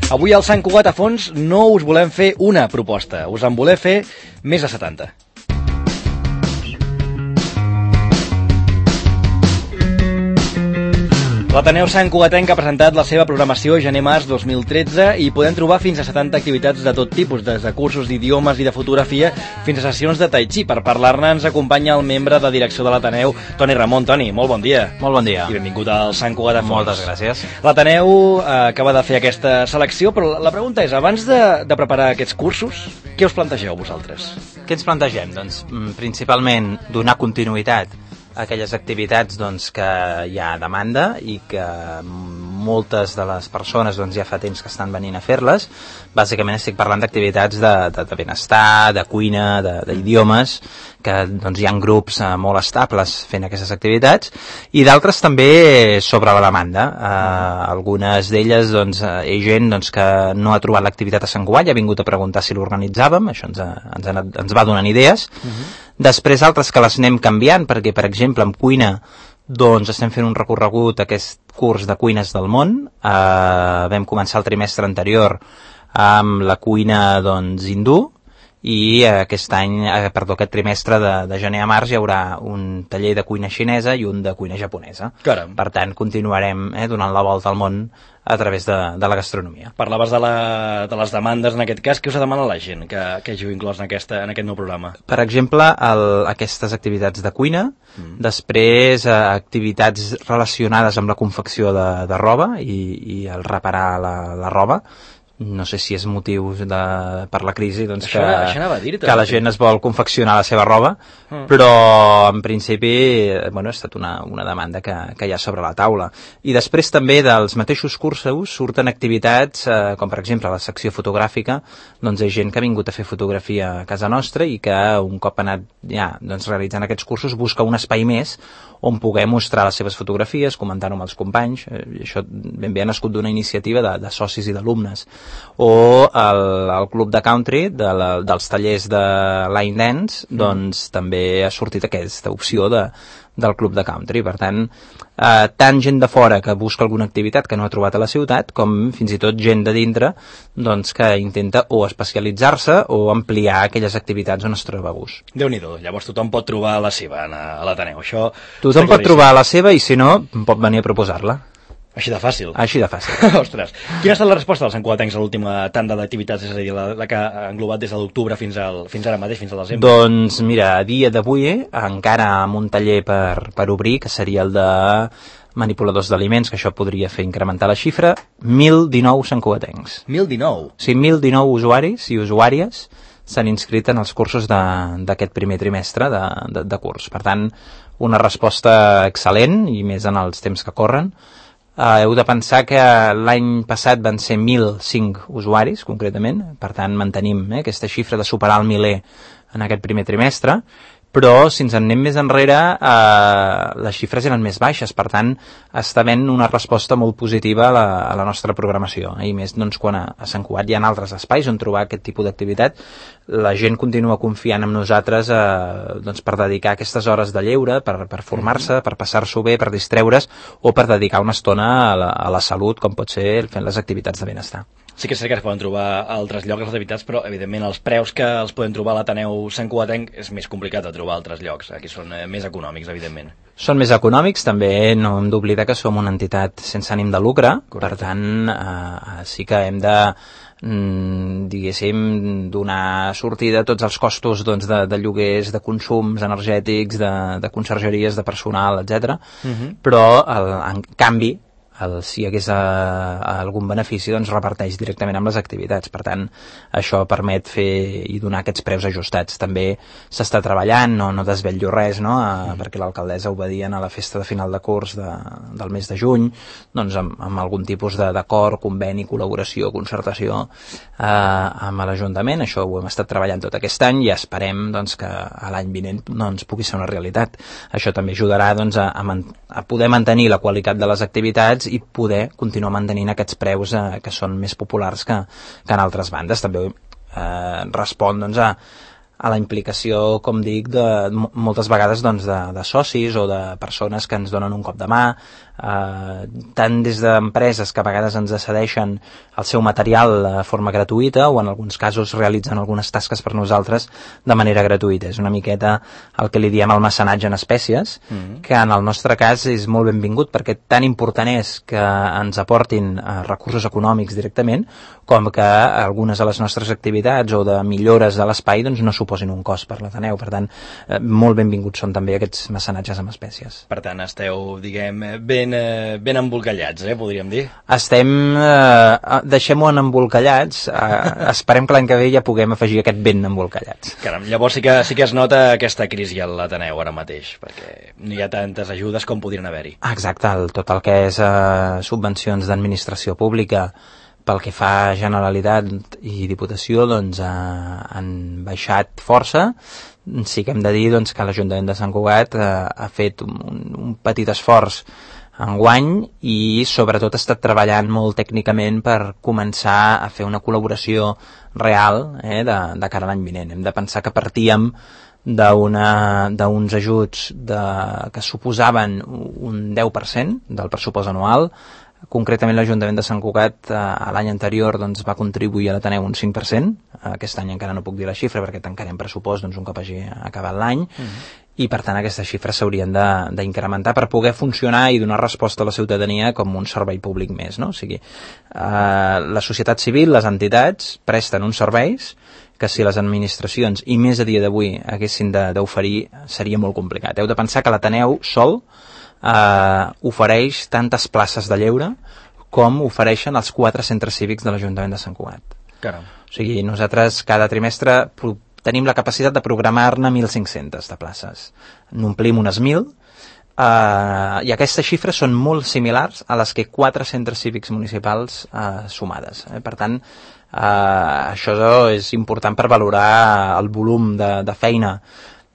Avui al Sant Cugat a Fons no us volem fer una proposta, us en volem fer més de 70. L'Ateneu Sant Cugatenc ha presentat la seva programació gener-març 2013 i podem trobar fins a 70 activitats de tot tipus, des de cursos d'idiomes i de fotografia fins a sessions de tai chi. Per parlar-ne ens acompanya el membre de direcció de l'Ateneu, Toni Ramon. Toni, molt bon dia. Molt bon dia. I benvingut al Sant Cugat a Fons. Moltes gràcies. L'Ateneu acaba de fer aquesta selecció, però la pregunta és, abans de preparar aquests cursos, què us plantegeu vosaltres? Què ens plantegem? Doncs principalment donar continuïtat a aquelles activitats que hi ha demanda i que moltes de les persones ja fa temps que estan venint a fer-les. Bàsicament estic parlant d'activitats de benestar, de cuina, d'idiomes, que hi ha grups molt estables fent aquestes activitats, i d'altres també sobre la demanda. Algunes d'elles hi ha gent que no ha trobat l'activitat a Sant Cugat i ha vingut a preguntar si l'organitzàvem, això ens va donant idees. Després altres que les anem canviant, perquè per exemple en cuina estem fent un recorregut, aquest curs de cuines del món. Vam començar el trimestre anterior amb la cuina hindú, i aquest trimestre de gener a març hi haurà un taller de cuina xinesa i un de cuina japonesa. Caram. Per tant, continuarem donant la volta al món a través de la gastronomia. Parlaves de les demandes en aquest cas. Què us demana la gent que hàgiu inclòs en aquest nou programa? Per exemple, aquestes activitats de cuina, després activitats relacionades amb la confecció de roba i el reparar la roba. No sé si és motiu per la crisi que la gent es vol confeccionar la seva roba, però en principi ha estat una demanda que hi ha sobre la taula. I després també dels mateixos cursos surten activitats com per exemple la secció fotogràfica. Hi ha gent que ha vingut a fer fotografia a casa nostra i que un cop ha anat realitzant aquests cursos busca un espai més on poder mostrar les seves fotografies, comentar-ho amb els companys. Això ben bé ha nascut d'una iniciativa de socis i d'alumnes. O el club de country dels tallers de line dance, també ha sortit aquesta opció del club de country. Per tant, tant gent de fora que busca alguna activitat que no ha trobat a la ciutat, com fins i tot gent de dintre que intenta o especialitzar-se o ampliar aquelles activitats on es troba a gust. Déu-n'hi-do, llavors tothom pot trobar la seva a l'Ateneu. Tothom pot trobar la seva i si no, pot venir a proposar-la. Així de fàcil. Així de fàcil. Ostres, quina ha estat la resposta dels santcugatencs a l'última tanda d'activitats, és a dir, la que ha englobat des de l'octubre fins ara mateix, fins al desembre? Doncs mira, a dia d'avui encara amb un taller per obrir, que seria el de manipuladors d'aliments, que això podria fer incrementar la xifra, 1.019 santcugatencs. 1.019? Sí, 1.019 usuaris i usuàries s'han inscrit en els cursos d'aquest primer trimestre de curs. Per tant, una resposta excel·lent, i més en els temps que corren. Heu de pensar que l'any passat van ser 1.005 usuaris, concretament. Per tant, mantenim aquesta xifra de superar el 1.000 en aquest primer trimestre. Però si ens en anem més enrere, les xifres eren més baixes. Per tant, està havent una resposta molt positiva a la nostra programació. I més quan a Sant Cugat hi ha altres espais on trobar aquest tipus d'activitat, la gent continua confiant en nosaltres per dedicar aquestes hores de lleure, per formar-se, per passar-s'ho bé, per distreure's, o per dedicar una estona a la salut, com pot ser fent les activitats de benestar. Sí que és cert que es poden trobar a altres llocs les activitats, però evidentment els preus que els podem trobar a l'Ateneu Sant Cugatenc és més complicat de trobar a altres llocs. Aquí són més econòmics, evidentment. Són més econòmics, també no hem d'oblidar que som una entitat sense ànim de lucre. Correcte. Per tant, sí que hem de diguéssim donar sortida a tots els costos de lloguers, de consums energètics, de consergeries, de personal, etc. Però en canvi si hi hagués algun benefici, reparteix directament amb les activitats. Per tant, això permet fer i donar aquests preus ajustats. També s'està treballant, no desvetllo res, perquè l'alcaldessa ho va dir a la festa de final de curs del mes de juny, amb algun tipus d'acord, conveni, col·laboració, concertació amb l'Ajuntament. Això ho hem estat treballant tot aquest any i esperem que a l'any vinent pugui ser una realitat. Això també ajudarà a poder mantenir la qualitat de les activitats i poder continuar mantenint aquests preus que són més populars que en altres bandes. També respon a la implicació, com dic, moltes vegades de socis o de persones que ens donen un cop de mà, tant des d'empreses que a vegades ens cedeixen el seu material de forma gratuïta o en alguns casos realitzen algunes tasques per nosaltres de manera gratuïta. És una miqueta el que li diem el mecenatge en espècies, que en el nostre cas és molt benvingut perquè tan important és que ens aportin recursos econòmics directament com que algunes de les nostres activitats o de millores de l'espai doncs, no suposin un cost per l'Ateneu. Per tant, molt benvinguts són també aquests mecenatges amb espècies. Per tant, esteu, diguem, ben embolcallats, podríem dir. Deixem-ho en embolcallats, esperem que l'any que ve ja puguem afegir aquest ben embolcallats. Caram, llavors sí que es nota aquesta crisi a l'Ateneu ara mateix, perquè no hi ha tantes ajudes com podrien haver-hi. Exacte, tot el que és subvencions d'administració pública pel que fa a Generalitat i Diputació doncs han baixat força. Sí que hem de dir doncs, que l'Ajuntament de Sant Cugat ha fet un petit esforç enguany i sobretot ha estat treballant molt tècnicament per començar a fer una col·laboració real de cara a l'any vinent. Hem de pensar que partíem d'uns ajuts que suposaven un 10% del pressupost anual. Concretament l'Ajuntament de Sant Cugat l'any anterior doncs, va contribuir a l'Ateneu un 5%. Aquest any encara no puc dir la xifra perquè tancarem pressupost doncs, un cop hagi acabat l'any. I per tant aquestes xifres s'haurien d'incrementar per poder funcionar i donar resposta a la ciutadania com un servei públic més, no? O sigui, la societat civil, les entitats presten uns serveis que si les administracions, i més a dia d'avui, haguessin d'oferir, seria molt complicat. Heu de pensar que l'Ateneu sol ofereix tantes places de lleure com ofereixen els 4 centres cívics de l'Ajuntament de Sant Cugat. Caram. O sigui, nosaltres cada trimestre tenim la capacitat de programar-ne 1.500 de places. N'omplim unes 1.000 i aquestes xifres són molt similars a les que 4 centres cívics municipals sumades. Per tant, això és important per valorar el volum de feina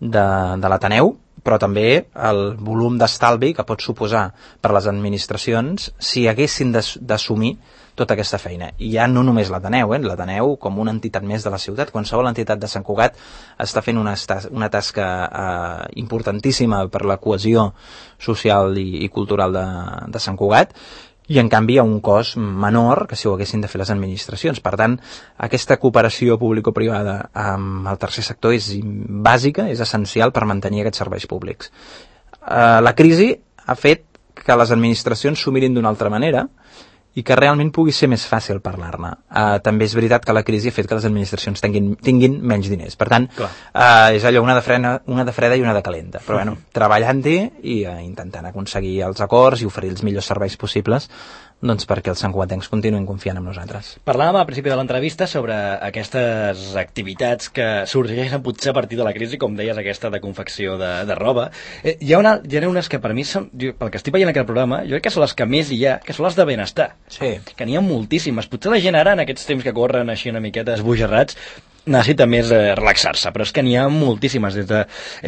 de l'Ateneu, però també el volum d'estalvi que pot suposar per les administracions si haguessin d'assumir tota aquesta feina. I ja no només l'Ateneu, l'Ateneu com una entitat més de la ciutat. Qualsevol entitat de Sant Cugat està fent una tasca importantíssima per la cohesió social i cultural de Sant Cugat, i en canvi hi ha un cost menor que si ho haguessin de fer les administracions. Per tant, aquesta cooperació público-privada amb el tercer sector és bàsica, és essencial per mantenir aquests serveis públics. La crisi ha fet que les administracions s'ho mirin d'una altra manera i que realment pugui ser més fàcil parlar-ne. També és veritat que la crisi ha fet que les administracions tinguin menys diners. Per tant, és allò una de freda i una de calenta. Però bueno, treballant-hi i intentant aconseguir els acords i oferir els millors serveis possibles doncs perquè els santcugatencs continuïn confiant en nosaltres. Parlàvem al principi de l'entrevista sobre aquestes activitats que sorgeixen potser a partir de la crisi, com deies, aquesta de confecció de roba. Hi ha unes que per mi són, pel que estic veient aquest programa, jo crec que són les que més hi ha, que són les de benestar. Sí. Que n'hi ha moltíssimes. Potser la gent ara, en aquests temps que corren així una miqueta esbojarrats, necessita més relaxar-se, però és que n'hi ha moltíssimes, des de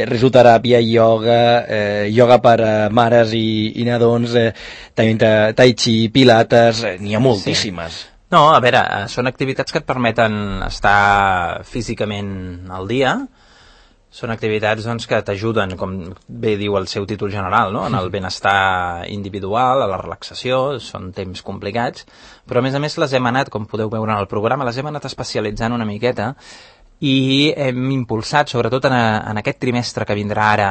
risoteràpia, ioga per mares i nadons, tai chi, pilates, n'hi ha moltíssimes. Sí. No, a veure, són activitats que et permeten estar físicament al dia, són activitats doncs, que t'ajuden, com bé diu el seu títol general, no? En el benestar individual, a la relaxació, són temps complicats, però a més les hem anat, com podeu veure en el programa, les hem anat especialitzant una miqueta i hem impulsat, sobretot en aquest trimestre que vindrà ara,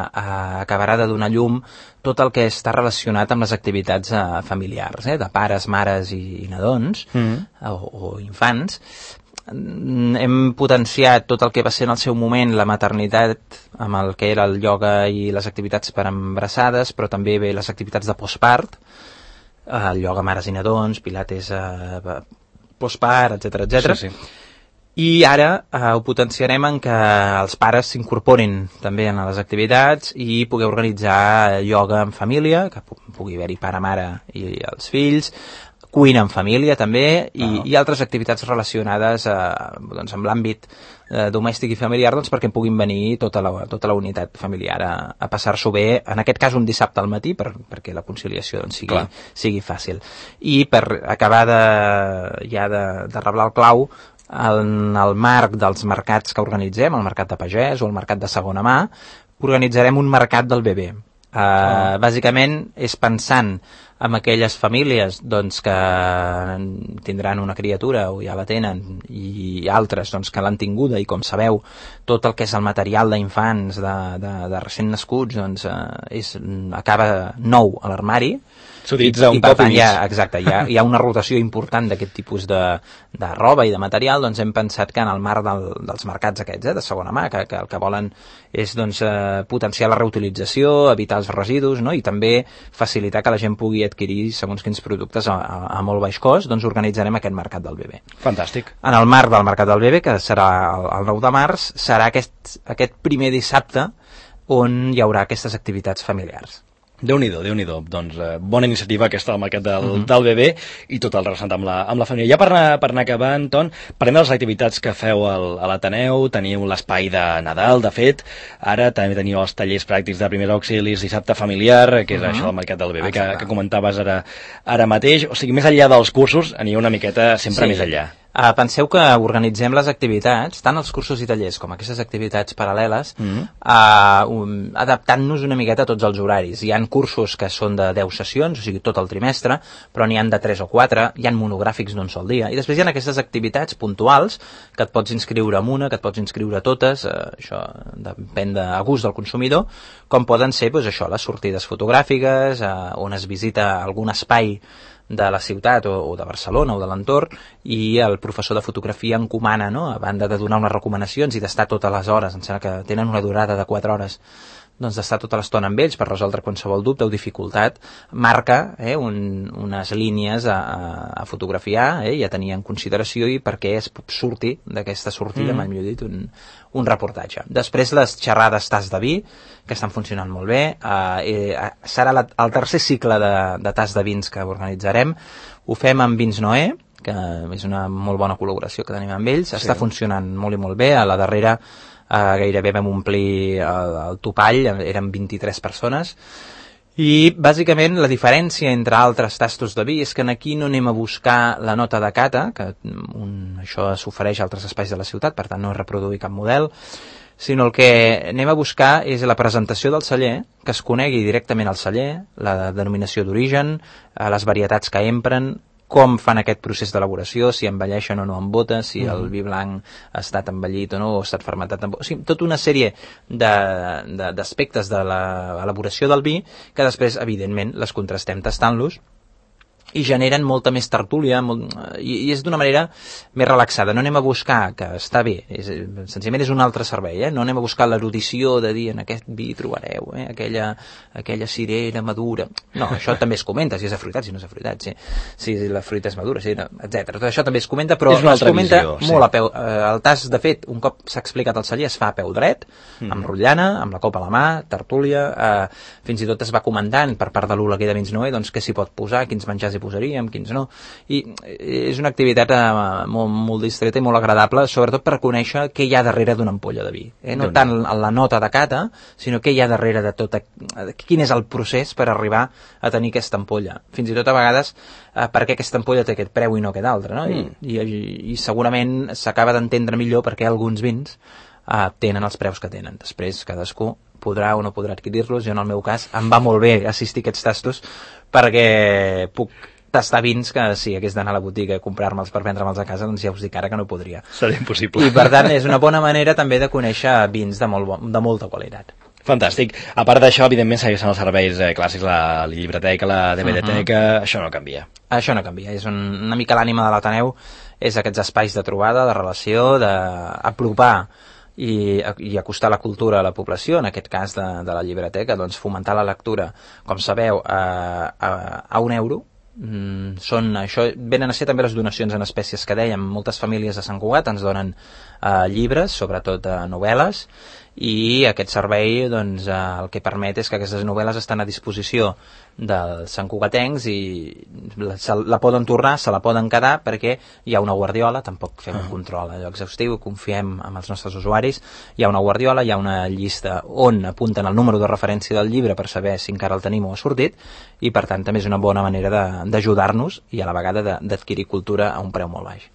acabarà de donar llum tot el que està relacionat amb les activitats familiars, de pares, mares i nadons, o infants. Hem potenciat tot el que va ser en el seu moment la maternitat amb el que era el ioga i les activitats per embarassades, però també bé les activitats de postpart, el ioga mares i nadons, pilates postpart, etc. Sí. I ara ho potenciarem en que els pares s'incorporin també en les activitats i poder organitzar ioga en família, que pugui haver-hi pare-mare i els fills, cuina en família també i altres activitats relacionades doncs, amb l'àmbit domèstic i familiar doncs, perquè puguin venir tota la unitat familiar a passar-s'ho bé, en aquest cas un dissabte al matí perquè la conciliació doncs, sigui fàcil. I per acabar de reblar el clau, en el marc dels mercats que organitzem, el mercat de pagès o el mercat de segona mà, organitzarem un mercat del bebè. Bàsicament és pensant amb aquelles famílies doncs, que tindran una criatura o ja la tenen, i altres doncs, que l'han tinguda, i com sabeu tot el que és el material d'infants de recent nascuts doncs, acaba nou a l'armari, s'utilitza un per cop tant, i mig. exacte, hi ha una rotació important d'aquest tipus de roba i de material. Doncs hem pensat que en el marc dels mercats aquests de segona mà, que el que volen és doncs, potenciar la reutilització, evitar els residus, no? I també facilitar que la gent pugui adquirir segons quins productes a molt baix cost, doncs organitzarem aquest mercat del bebè. Fantàstic. En el marc del mercat del bebè, que serà el 9 de març, serà aquest primer dissabte on hi haurà aquestes activitats familiars. Déu-n'hi-do, Déu-n'hi-do. Doncs bona iniciativa aquesta del mercat del bebè i tot el relacionat amb la família. Ja per anar acabant, Ton, parlem de les activitats que feu a l'Ateneu. Teniu l'espai de Nadal, de fet. Ara també teniu els tallers pràctics de primers auxilis, dissabte familiar, que és això del mercat del bebè que comentaves ara mateix. O sigui, més enllà dels cursos, anireu una miqueta sempre més enllà. Penseu que organitzem les activitats, tant els cursos i tallers com aquestes activitats paral·leles, adaptant-nos una miqueta a tots els horaris. Hi ha cursos que són de 10 sessions, o sigui, tot el trimestre, però n'hi han de 3 o 4, hi ha monogràfics d'un sol dia, i després hi ha aquestes activitats puntuals que et pots inscriure en una, que et pots inscriure a totes, això depèn a gust del consumidor, com poden ser doncs, això, les sortides fotogràfiques, on es visita algun espai de la ciutat o de Barcelona o de l'entorn, i el professor de fotografia encomana, no? A banda de donar unes recomanacions i d'estar totes les hores, em sembla que tenen una durada de 4 hores, doncs d'estar tota l'estona amb ells per resoldre qualsevol dubte o dificultat, marca unes línies a fotografiar i a tenir en consideració, i perquè es surti d'aquesta sortida, mai millor dit, un reportatge. Després les xerrades tas de vi, que estan funcionant molt bé, serà el tercer cicle de tas de vins que organitzarem. Ho fem amb Vins Noé, que és una molt bona col·laboració que tenim amb ells, està funcionant molt i molt bé. A la darrera gairebé vam omplir el topall, eren 23 persones, i bàsicament la diferència entre altres tastos de vi és que aquí no anem a buscar la nota de cata, que això s'ofereix a altres espais de la ciutat, per tant no és reproduir cap model, sinó el que anem a buscar és la presentació del celler, que es conegui directament al celler, la denominació d'origen, les varietats que empren, com fan aquest procés d'elaboració, si envelleixen o no amb botes, si el vi blanc ha estat envellit o no, o ha estat fermentat amb botes. O sigui, tota una sèrie d'aspectes de l'elaboració del vi que després, evidentment, les contrastem tastant-los i generen molta més tertúlia, i és d'una manera més relaxada. No anem a buscar, que està bé, senzillament és un altre servei, no anem a buscar l'erudició de dir en aquest vi trobareu aquella cirera madura. No, això també es comenta, si és afruitat, si no és afruitat, si la fruita és madura, etc. Tot això també es comenta, però es comenta molt a peu. El tas, de fet, un cop s'ha explicat al celler, es fa a peu dret, amb rotllana, amb la copa a la mà, tertúlia, fins i tot es va comentant per part de l'Oleguer de Vins Noé, doncs què s'hi pot posar, quins menjars hi posaríem, quins no, i és una activitat molt distreta i molt agradable, sobretot per conèixer què hi ha darrere d'una ampolla de vi, no tant la nota de cata, sinó què hi ha darrere de tot, quin és el procés per arribar a tenir aquesta ampolla, fins i tot a vegades per què aquesta ampolla té aquest preu i no aquest altre, no? I segurament s'acaba d'entendre millor perquè alguns vins tenen els preus que tenen. Després cadascú podrà o no podrà adquirir-los. Jo, en el meu cas, em va molt bé assistir a aquests tastos perquè puc tastar vins que si hagués d'anar a la botiga a comprar-me'ls per vendre-me'ls a casa, doncs ja us dic ara que no podria. Seria impossible. I per tant és una bona manera també de conèixer vins de molta qualitat. Fantàstic. A part d'això, evidentment, segueixen els serveis clàssics, la llibreteca, la DVD-teca, això no canvia. Això no canvia. És una mica l'ànima de l'Ateneu, és aquests espais de trobada, de relació, d'apropar i acostar la cultura a la població, en aquest cas de la llibreteca, doncs fomentar la lectura, com sabeu, a €1. Això venen a ser també les donacions en espècies que dèiem. Moltes famílies de Sant Cugat ens donen llibres, sobretot novel·les, i aquest servei doncs, el que permet és que aquestes novel·les estan a disposició dels santcugatencs i la poden tornar, se la poden quedar, perquè hi ha una guardiola, tampoc fem un control exhaustiu, confiem en els nostres usuaris, hi ha una guardiola, hi ha una llista on apunten el número de referència del llibre per saber si encara el tenim o ha sortit, i per tant també és una bona manera d'ajudar-nos i a la vegada d'adquirir cultura a un preu molt baix.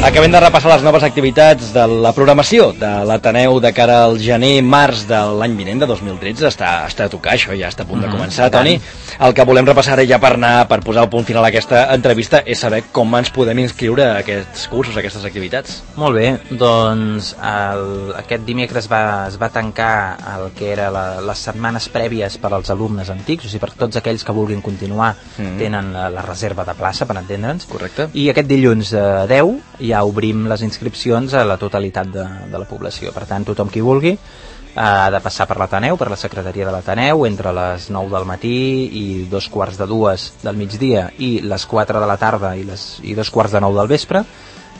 Acabem de repassar les noves activitats de la programació de l'Ateneu de cara al gener-març de l'any vinent, de 2013. Està a tocar, això ja està a punt de començar, Toni. El que volem repassar ja per posar el punt final a aquesta entrevista és saber com ens podem inscriure a aquests cursos, a aquestes activitats. Molt bé, doncs aquest dimecres es va tancar el que era les setmanes prèvies per als alumnes antics, o sigui, per tots aquells que vulguin continuar tenen la reserva de plaça, per entendre'ns. Correcte. I aquest dilluns 10 ja obrim les inscripcions a la totalitat de la població. Per tant, tothom qui vulgui ha de passar per l'Ateneu, per la secretaria de l'Ateneu, entre les 9 del matí i 2:45 del migdia i les 4 de la tarda i 2:45 del vespre,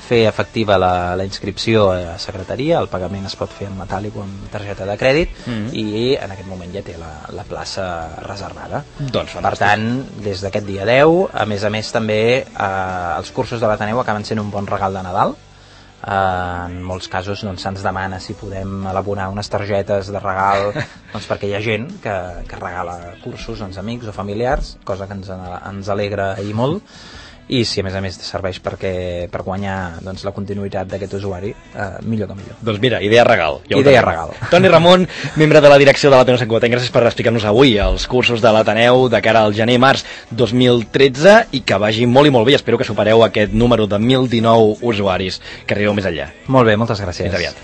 fer efectiva la inscripció a la secretaria. El pagament es pot fer en metàl·lic o amb targeta de crèdit i en aquest moment ja té la plaça reservada. Doncs fantàstic. Per tant, des d'aquest dia 10, a més també els cursos de l'Ateneu acaben sent un bon regal de Nadal. En molts casos se'ns demana si podem elaborar unes targetes de regal perquè hi ha gent que regala cursos als amics o familiars, cosa que ens alegra i molt, i si a més serveix per guanyar la continuïtat d'aquest usuari, millor que millor. Doncs mira, idea regal. Idea regal. Toni Ramon, membre de la direcció de l'Ateneu Sant Cugatenc, gràcies per explicar-nos avui els cursos de l'Ateneu de cara al gener-març 2013 i que vagi molt i molt bé. Espero que supereu aquest número de 1.019 usuaris, que arribeu més enllà. Molt bé, moltes gràcies. Fins aviat.